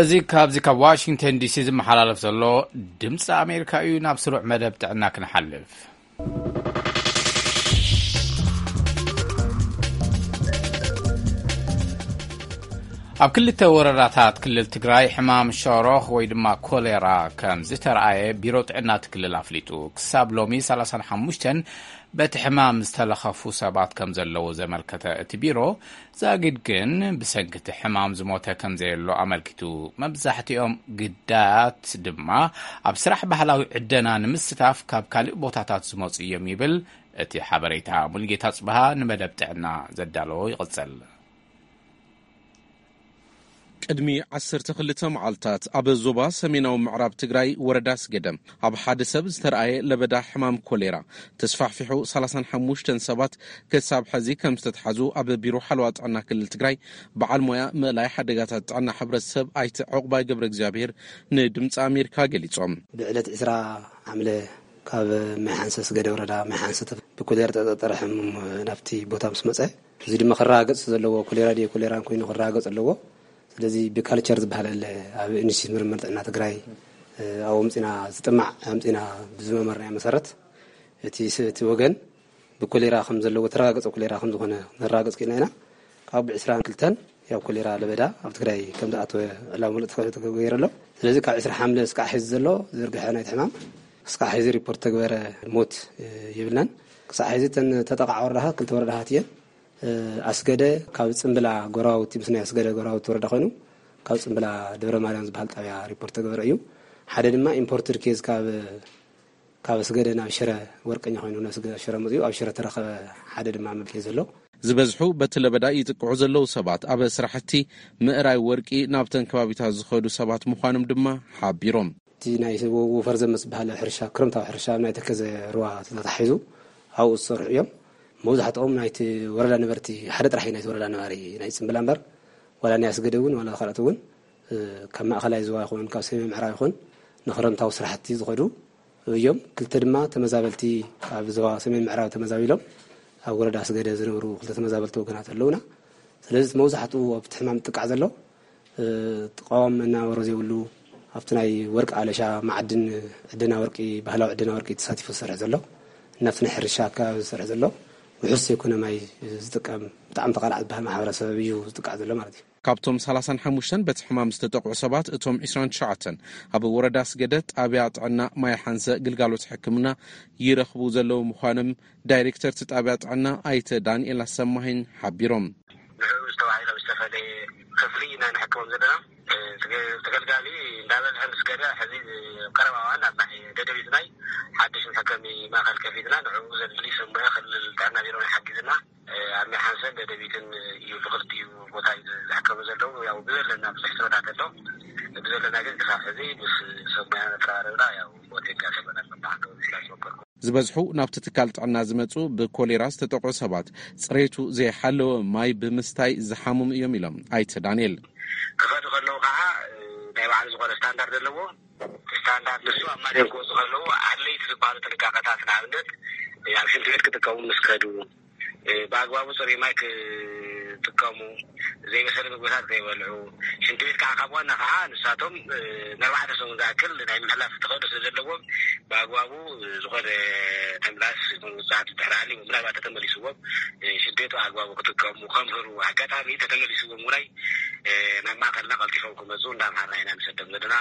እዚ ካብዚ ካብ ዋሽንግተን ዲሲ ዝመሓላለፍ ዘሎ ድምፂ ኣሜሪካ እዩ። ናብ ስሩዕ መደብ ጥዕና ክንሓልፍ። ኣብ ክልተ ወረዳታት ክልል ትግራይ ሕማም ሸሮኽ ወይ ድማ ኮሌራ ከም ዝተረኣየ ቢሮ ጥዕና እቲ ክልል ኣፍሊጡ። ክሳብ ሎሚ ሰላሳን ሓሙሽተን በቲ ሕማም ዝተለኸፉ ሰባት ከም ዘለዉ ዘመልከተ እቲ ቢሮ፣ ዛጊድ ግን ብሰንኪ እቲ ሕማም ዝሞተ ከም ዘየሎ ኣመልኪቱ። መብዛሕትኦም ግዳያት ድማ ኣብ ስራሕ ባህላዊ ዕደና ንምስታፍ ካብ ካልእ ቦታታት ዝመጹ እዮም ይብል እቲ ሓበሬታ። ሙሉጌታ ጽብሃ ንመደብ ጥዕና ዘዳለዎ ይቕጽል። ቅድሚ ዓሰርተ ክልተ መዓልታት ኣብ ዞባ ሰሜናዊ ምዕራብ ትግራይ ወረዳ ኣስገደ ኣብ ሓደ ሰብ ዝተረኣየ ለበዳ ሕማም ኮሌራ ተስፋሕፊሑ ሰላሳን ሓሙሽተን ሰባት ክሳብ ሕዚ ከም ዝተትሓዙ ኣብ ቢሮ ሓለዋ ጥዕና ክልል ትግራይ በዓል ሞያ ምእላይ ሓደጋታት ጥዕና ሕብረተሰብ ኣይተ ዕቑባይ ገብረ እግዚኣብሔር ንድምፂ ኣሜሪካ ገሊፆም። ብዕለት ዕስራ ዓምለ ካብ ማይ ሓንሰ ኣስገደ ወረዳ ማይ ሓንሰ ብኮሌራ ተጠርጠረ ሕሙም ናብቲ ቦታ ምስ መፀ፣ እዚ ድማ ክረጋገፅ ዘለዎ ኮሌራ ድዩ ኮሌራን ኮይኑ ክረጋገፅ ኣለዎ። ስለዚ ብካልቸር ዝበሃል ኣለ ኣብ ኢንስቲትዩት ምርምር ጥዕና ትግራይ ኣብኡ ምፂና ዝጥማዕ ኣምፂና ብዝመመርናዮ መሰረት እቲ ስ- እቲ ወገን ብኮሌራ ከም ዘለዎ ተረጋገፀ ኮሌራ ከም ዝኾነ ነረጋገፅ ክኢልና ኢና። ካብ ዕስራን ክልተን ያው ኮሌራ ለበዳ ኣብ ትግራይ ከም ዝኣተወ ዕላዊ ምሉእ ተገይሩ ኣሎ። ስለዚ ካብ ዕስራ ሓምለ እስካዕ ሕዚ ዘሎ ዝርግሐ ናይቲ ሕማም እስካዕ ሕዚ ሪፖርት ተግበረ ሞት የብልናን። ክሳዕ ሕዚ እተን ተጠቃዕ ወረዳታት ክልተ ወረዳታት እየን። ኣስገደ ካብ ፅምብላ ጎረባብቲ ምስ ናይ ኣስገደ ጎረባብቲ ወረዳ ኮይኑ ካብ ፅምብላ ደብረ ማርያም ዝበሃል ጣብያ ሪፖርት ተገበረ እዩ። ሓደ ድማ ኢምፖርትድ ኬዝ ካብ ካብ ኣስገደ ናብ ሽረ ወርቀኛ ኮይኑ ናብ ሽረ መፅኡ ኣብ ሽረ ተረኸበ። ሓደ ድማ መብልሒ ዘሎ ዝበዝሑ በቲ ለበዳ ይጥቅዑ ዘለዉ ሰባት ኣብ ስራሕቲ ምእራይ ወርቂ ናብተን ከባቢታት ዝኸዱ ሰባት ምዃኖም ድማ ሓቢሮም። እቲ ናይ ወፈር ዘመ ዝበሃል ሕርሻ ክረምታዊ ሕርሻ ኣብ ናይ ተከዘ ሩባ ተታሒዙ ኣብኡ ዝሰርሑ እዮም። መብዛሕትኦም ናይቲ ወረዳ ነበርቲ ሓደ ጥራሕ እዩ ናይቲ ወረዳ ነባሪ ናይ ፅምብላ እምበር ዋላ ናይ ኣስገደ እውን ዋላ ካልኦት እውን ካብ ማእኸላይ ዝዋ ይኹን ካብ ሰሜን ምዕራብ ይኹን ንክረምታዊ ስራሕቲ ዝኸዱ እዮም። ክልተ ድማ ተመዛበልቲ ካብ ዞባ ሰሜን ምዕራብ ተመዛቢሎም ኣብ ወረዳ ኣስገደ ዝነብሩ ክልተ ተመዛበልቲ ወገናት ኣለውና። ስለዚ እቲ መብዛሕትኡ ኣብቲ ሕማም ዝጥቃዕ ዘሎ፣ እ፣ ተቃዋም መናበሮ ዘይብሉ፣ ኣብቲ ናይ ወርቂ ኣለሻ፣ ማዕድን፣ ዕደና ወርቂ፣ ባህላዊ ዕደና ወርቂ ተሳቲፉ ዝሰርሕ ዘሎ፣ እናብቲ ናይ ሕርሻ ኣከባቢ ዝሰርሕ ዘሎ፣ ውሑስ ዘይኮነ ማይ ዝጥቀም፣ ብጣዕሚ ተቓላዕ ዝበሃል ማሕበረሰብ እዩ ዝጥቃዕ ዘሎ ማለት እዩ። ካብቶም ሰላሳን ሓሙሽተን በቲ ሕማም ዝተጠቕዑ ሰባት፣ እቶም ዕስራን ትሽዓተን ኣብ ወረዳ ኣስገደ ጣብያ ጥዕና ማይ ሓንሰ ግልጋሎት ሕክምና ይረኽቡ ዘለዉ ምዃኖም ዳይሬክተር እቲ ጣብያ ጥዕና ኣይተ ዳንኤል ኣሰማሂን ሓቢሮም። ንዕኡ ዝተባሂሎም ዝተፈለየ ክፍሊ ኢና ንሕክሞም ዘለና። እ፣ ተገ-፣ ተገልጋሊ እንዳበዝሐ ምስ ከደ፣ ሕዚ ኣብ ቀረባ እዋን ኣብ ናይ ደደቢት ናይ ሓድሽ መሐከሚ ማእከል ከፊትና፣ ንዕኡ ዘድሊ ሰብ ሞያ ክልል ጥዕና ቢሮና ይሓግዝና። እ፣ ኣብ ናይ ሓንሰን ደደቢትን እዩ፣ ብክልቲኡ ቦታ እዩ ዝሕከሙ ዘለዉ። ያው ብዘለና ብዙሕ ስረታት ኣሎ። ብዘለና ግን ክሳብ ሕዚ ምስ ሰብ ሞያ እናተራረብና፣ ያው ሞት የጋጠመና ኣሎ። ብሓቂ ምስላ ዝመከርኩ ዝበዝሑ ናብቲ ትካል ጥዕና ዝመጹ ብኮሌራ ዝተጠቕዑ ሰባት፣ ጽሬቱ ዘይሓለወ ማይ ብምስታይ ዝሓምሙ እዮም ኢሎም ኣይተ ዳንኤል። ክኸዱ ከለዉ ከዓ፣ እ፣ ናይ ባዕሉ ዝኾነ ስታንዳርድ ኣለዎ። ስታንዳርድ ንሱ ኣብ ማደን ክወፁ ከለዉ ኣድለይቲ ዝበሃሉ ጥንቃቐታት፣ ንኣብነት፣ እ፣ ኣብ ሽንቲ ቤት ክጥቀሙ ምስ ከዱ፣ እ፣ ብኣግባቡ ጽሩይ ማይ ክጥቀሙ፣ ዘይበሰለ ምግብታት ከይበልዑ፣ ሽንቲ ቤት ከዓ ካብ ዋና ከዓ ንሳቶም፣ እ፣ ንኣርባዕተ ሰሙን ዝኣክል ናይ ምሕላፍ ተኽእሎ ስለ ዘለዎም፣ ብኣግባቡ፣ እ፣ ዝኾነ ተምላስ ይኹን ውፅኣት ድሕሪ ሃልዩ፣ ምናልባት ተተመሊስዎም፣ እ፣ ሽንቲ ቤት ብኣግባቡ ክጥቀሙ ከምህሩ፣ ኣጋጣሚ ተተመሊስዎም ውራይ፣ እ፣ ናብ ማእከልና ቀልጢፎም ክመፁ እንዳምሃርና ኢና ንሰዶም ዘለና።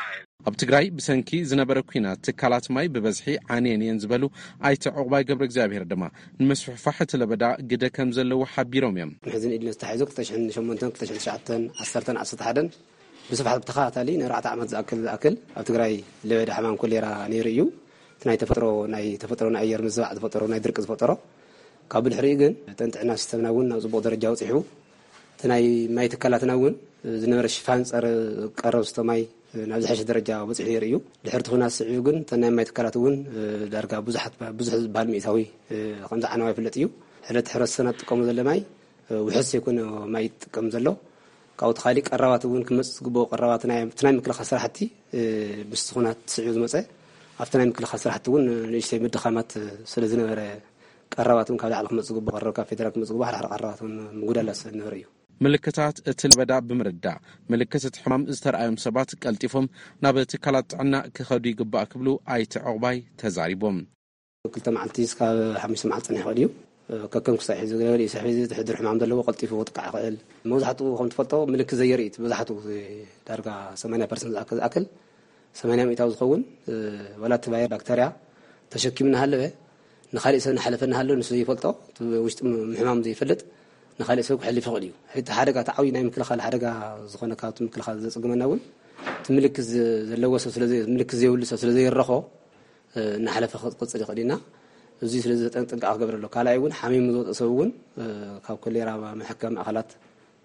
ኣብ ትግራይ ብሰንኪ ዝነበረ ኲናት ትካላት ማይ ብበዝሒ ዓንየን እየን ዝበሉ ኣይተ ዕቑባይ ገብረ እግዚኣብሔር ድማ፣ ንምስፍሕፋሕ እቲ ለበዳ ግደ ከም ዘለዎ ሓቢሮም እዮም። ሕዚ ንኢድነ ዝተታሒዙ ክልተ ሽሕን ሸሞንተን፣ ክልተ ሽሕን ትሽዓተን፣ ዓሰርተን፣ ዓሰርተ ሓደን ብስፍሓት ብተኸታታሊ ንኣርባዕተ ዓመት ዝኣክል፣ ዝኣክል ኣብ ትግራይ ለበዳ ሕማም ኮሌራ ነይሩ እዩ። እቲ ናይ ተፈጥሮ፣ ናይ ተፈጥሮ ናይ ኣየር ምዝባዕ ዝፈጠሮ፣ ናይ ድርቂ ዝፈጠሮ፣ ካብ ብድሕሪኡ ግን እተን ጥዕና ሲስተምና እውን ናብ ጽቡቕ ደረጃ በጺሑ፣ እቲ ናይ ማይ ትካላትና እውን ዝነበረ ሽፋን ጸረ ቀረብ ዝስተ ማይ ናብ ዝሐሸ ደረጃ በጺሑ ነይሩ እዩ። ድሕሪ እቲ ኹናት ስዒቡ ግን እተን ናይ ማይ ትካላት እውን ዳርጋ ብዙሓት፣ ብዙሕ ዝበሃል ሚእታዊ ከምዝዓነዋ ይፍለጥ እዩ። ሕለቲ ሕብረተሰብና ትጥቀሞ ዘለ ማይ ውሑስ ዘይኮነ ማይ ይጥቀም ዘሎ። ካብኡ ተኻሊ ቀረባት እውን ክመጽእ ዝግብኦ ቀረባት ናይ፣ እቲ ናይ ምክልኻል ስራሕቲ፣ ምስቲ ኹናት ስዒቡ ዝመጸ ኣብቲ ናይ ምክልኻል ስራሕቲ እውን ንእሽተይ ምድኻማት ስለ ዝነበረ፣ ቀረባት እውን ካብ ላዕሊ ክመጽእ ዝግብኦ ቀረብ፣ ካብ ፌደራል ክመጽእ ዝግብኦ ሓድሓደ ቀረባት እውን ምጉዳላት ስለ ዝነበረ እዩ። ምልክታት እቲ ለበዳ ብምርዳእ፣ ምልክት እቲ ሕማም ዝተርኣዮም ሰባት ቀልጢፎም ናብ ትካላት ጥዕና ክኸዱ ይግባእ ክብሉ ኣይተ ዕቑባይ ተዛሪቦም። ክልተ መዓልቲ እስካብ ሓሙሽተ መዓልቲ ጸኒሑ ይኽእል እዩ። ከከም ክሳብ ሕዚ ገለ ገለ እዩ። ስሕቢ እዚ ትሕድር ሕማም ዘለዎ ቀልጢፉ ክጥቃዕ ይኽእል። መብዛሕትኡ ከም ትፈልጦ ምልክት ዘየርኢ እቲ መብዛሕትኡ ዳርጋ ሰማንያ ፐርሰንት ዝኣክል፣ ዝኣክል ሰማንያ ሚእታዊ ዝኸውን፣ እ፣ ዋላ እቲ ቫይረስ ባክተርያ ተሸኪሙ እናሃለወ ንኻሊእ ሰብ እናሓለፈ እናሃለወ ንሱ ዘይፈልጦ፣ እቲ ውሽጢ ም-፣ ምሕማም ዘይፈልጥ ንኻሊእ ሰብ ክሕልፍ ይኽእል እዩ። ሕቲ ሓደጋ፣ እቲ ዓብዪ ናይ ምክልኻል ሓደጋ ዝኾነ ካብቲ ምክልኻል ዘጽግመና እውን እቲ ምልክት ዘ-፣ ዘለዎ ሰብ ስለ ዘይ-፣ ምልክት ዘይብሉ ሰብ ስለ ዘይረኾ፣ እ፣ እናሓለፈ ክቕጽል ይኽእል ኢና። እዚ ስለዚ ዘጠንቅቕ ክገብር ኣሎ። ካልኣይ እውን ሓሚሙ ዝወፀ ሰብ እውን፣ እ፣ ካብ ኮሌራ መሐከሚ ማእኸላት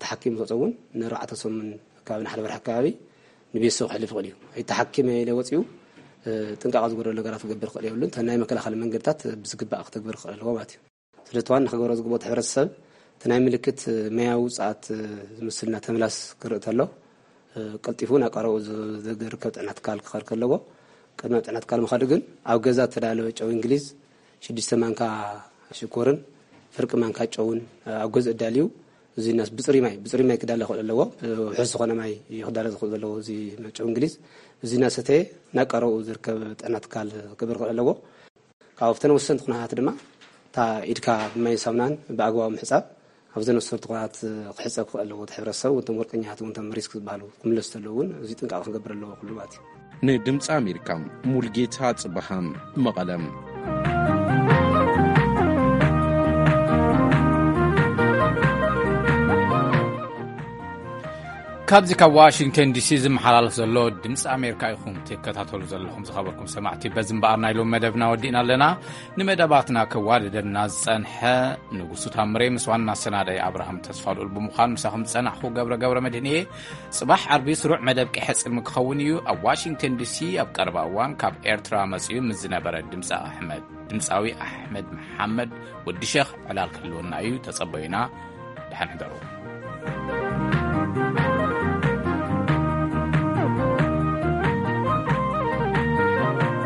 ተሓኪሙ ዝወፀ እውን ንኣርባዕተ ሰሙን ኣከባቢ ንሓደ ወርሒ ኣከባቢ ንቤተሰቡ ክሕልፍ ይኽእል እዩ። ኣይተሓኪመ ኢለ ወፂኡ፣ እ፣ ጥንቃቐ ዝጎደሎ ነገራት ክገብር ክኽእል የብሉን። እተን ናይ መከላኸሊ መንገድታት ብዝግባእ ክተግብር ክኽእል ኣለዎ ማለት እዩ። ስለቲ ዋና ክገብሮ ዝግብኦ እቲ ሕብረተሰብ እቲ ናይ ምልክት መያዊ ውፅኣት ዝምስልና ተምላስ ክርኢ ተሎ፣ እ፣ ቀልጢፉ ናብ ቀረብኡ ዝ-፣ ዝርከብ ጥዕና ትካል ክኸድ ከለዎ፣ ቅድሚ ናብ ጥዕና ትካል ምኻዱ ግን ኣብ ገዛ ዝተዳለወ ጨው እንግሊዝ ሽዱሽተ ማንካ ሽኮርን ፍርቂ ማንካ ጨውን ኣብ ገዝኡ ኣዳልዩ፣ እዚ እናስ-፣ ብፅሩይ ማይ፣ ብፅሩይ ማይ ክዳለ ክኽእል ኣለዎ። ውሑስ ዝኾነ ማይ እዩ ክዳለ ዝኽእል ዘለዎ እዚ ጨው እንግሊዝ። እዚ እናሰተየ ናብ ቀረብኡ ዝርከብ ጥዕና ትካል ክብር ክኽእል ኣለዎ። ካብ ኣብተን ወሰንቲ ኩነታት ድማ እታ ኢድካ ብማይን ሳሙናን ብኣግባቡ ምሕጻብ ኣብዘን ወሰንቲ ኩነታት ክሕጸብ ክኽእል ኣለዎ። እቲ ሕብረተሰብ እውን እቶም ወርቀኛታት እውን እቶም ሪስክ ዝበሃሉ ክምለሱ ዘለዉ እውን እዚ ጥንቃቐ ክገብር ኣለዎ ኩሉ ማለት እዩ። ንድምፂ ኣሜሪካ ሙልጌታ ጽበሃ መቐለም። ካብዚ ካብ ዋሽንግተን ዲሲ ዝመሓላለፍ ዘሎ ድምፂ ኣሜሪካ ኢኹም ትከታተሉ ዘለኹም። ዝኸበርኩም ሰማዕቲ፣ በዚ እምበኣር ናይ ሎም መደብና ወዲእና ኣለና። ንመደባትና ከዋደደና ዝጸንሐ ንጉሱ ታምሬ ምስ ዋና ኣሰናዳኢ ኣብርሃም ተስፋልኡል ብምዃን ምሳኹም ዝጸናሕኹ ገብረ ገብረ መድህን እየ። ጽባሕ ዓርቢ ስሩዕ መደብ ቀይሐ ጽልሚ ክኸውን እዩ። ኣብ ዋሽንግተን ዲሲ ኣብ ቀረባ እዋን ካብ ኤርትራ መጺኡ ምስ ዝነበረ ድምጻ ኣሕመድ፣ ድምጻዊ ኣሕመድ መሓመድ ወዲ ሸኽ ዕላል ክህልወና እዩ። ተጸበዩና። ደሓን ሕደሩ።